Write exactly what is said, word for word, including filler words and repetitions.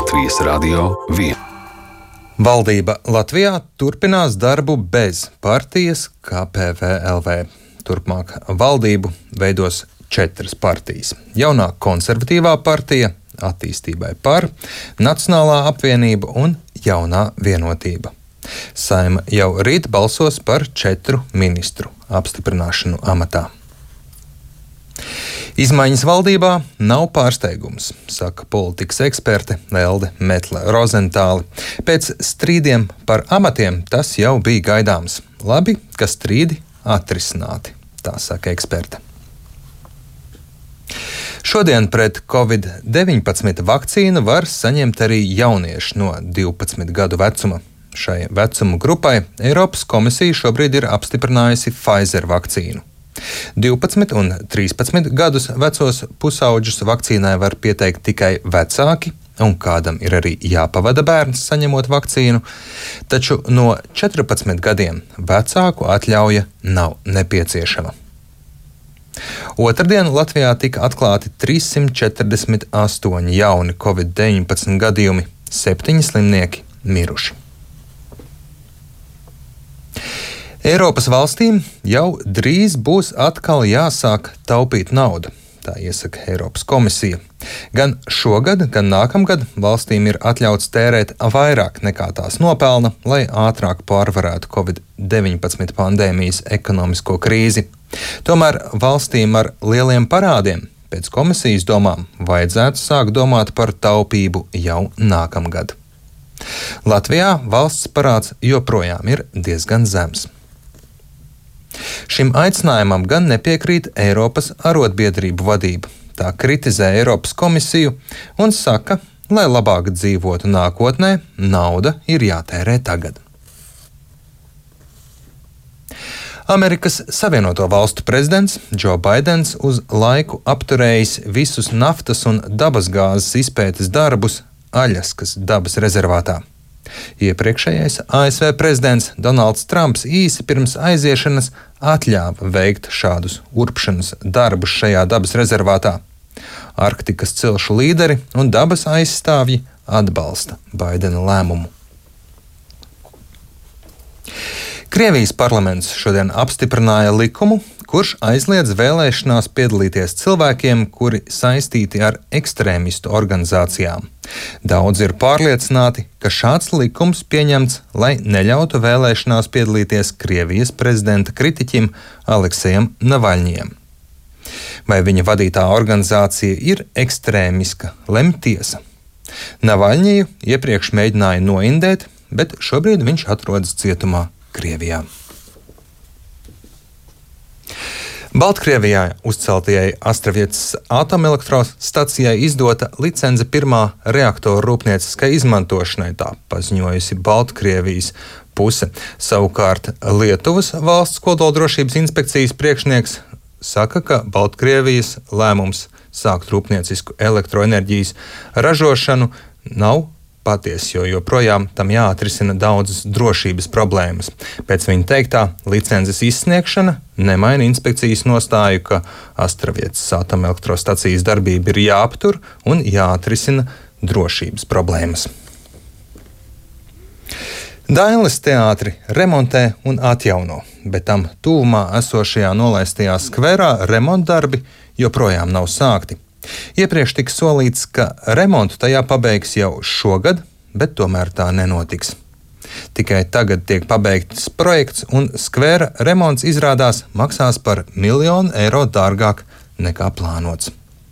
Latvijas Radio viens. Valdība Latvijā turpinās darbu bez partijas K P V L V. Turpmāk valdību veidos četras partijas. Jaunā konservatīvā partija, Attīstībai par, Nacionālā apvienība un Jaunā vienotība. Saeima jau rīt balsos par četru ministru apstiprināšanu amatā. Izmaiņas valdībā nav pārsteigums, saka politikas eksperte Elde Metle-Rozentāle. Pēc strīdiem par amatiem tas jau bija gaidāms. Labi, ka strīdi atrisināti, tā saka eksperte. Šodien pret covid deviņpadsmit vakcīnu var saņemt arī jaunieši no divpadsmit gadu vecuma. Šai vecuma grupai Eiropas komisija šobrīd ir apstiprinājusi Pfizer vakcīnu. divpadsmit un trīspadsmit gadus vecos pusauģus vakcīnai var pieteikt tikai vecāki, un kādam ir arī jāpavada bērns saņemot vakcīnu, taču no četrpadsmit gadiem vecāku atļauja nav nepieciešama. Otrdien Latvijā tika atklāti trīssimt četrdesmit astoņi jauni covid deviņpadsmit gadījumi, septiņi slimnieki miruši. Eiropas valstīm jau drīz būs atkal jāsāk taupīt naudu, tā iesaka Eiropas komisija. Gan šogad, gan nākamgad valstīm ir atļauts tērēt vairāk nekā tās nopelna, lai ātrāk pārvarētu covid deviņpadsmit pandēmijas ekonomisko krīzi. Tomēr valstīm ar lieliem parādiem pēc komisijas domām vajadzētu sākt domāt par taupību jau nākamgad. Latvijā valsts parāds joprojām ir diezgan zems. Šim aicinājumam gan nepiekrīt Eiropas arotbiedrību vadība. Tā kritizē Eiropas komisiju un saka, lai labāk dzīvotu nākotnē, nauda ir jātērē tagad. Amerikas Savienoto Valstu prezidents Džo Baidens uz laiku apturējis visus naftas un dabasgāzes izpētes darbus Aļaskas dabas rezervātā. Iepriekšējais A S V prezidents Donalds Trumps īsi pirms aiziešanas atļāva veikt šādus urpšanas darbus šajā dabas rezervātā. Arktikas cilšu līderi un dabas aizstāvji atbalsta Baidena lēmumu. Krievijas parlaments šodien apstiprināja likumu, kurš aizliedz vēlēšanās piedalīties cilvēkiem, kuri saistīti ar ekstrēmistu organizācijām. Daudzi ir pārliecināti, ka šāds likums pieņemts, lai neļautu vēlēšanās piedalīties Krievijas prezidenta kritiķim Aleksejam Navaļņijam. Vai viņa vadītā organizācija ir ekstrēmiska, lemj tiesa. Navaļņiju iepriekš mēģināja noindēt, bet šobrīd viņš atrodas cietumā Krievijā. Baltkrievijā uzceltajai Astravietas atomelektrostacijai izdota licence pirmā reaktora rūpnieciskai izmantošanai, tā paziņojusi Baltkrievijas puse. Savukārt Lietuvas valsts kodoldrošības inspekcijas priekšnieks saka, ka Baltkrievijas lēmums sākt rūpniecisku elektroenerģijas ražošanu nav patiesi, jo joprojām tam jāatrisina daudzas drošības problēmas. Pēc viņa teiktā, licences izsniegšana nemaina inspekcijas nostāju, ka Astravietas atomelektrostacijas darbība ir jāaptur un jāatrisina drošības problēmas. Dailes teātri remontē un atjauno, bet tam tuvumā esošajā nolaistajā skverā remontdarbi joprojām nav sākti. Iepriekš tika solīts, ka remontu tajā pabeigs jau šogad, bet tomēr tā nenotiks. Tikai tagad tiek pabeigts projekts, un skvera remonts izrādās maksās par miljonu eiro dārgāk nekā plānots.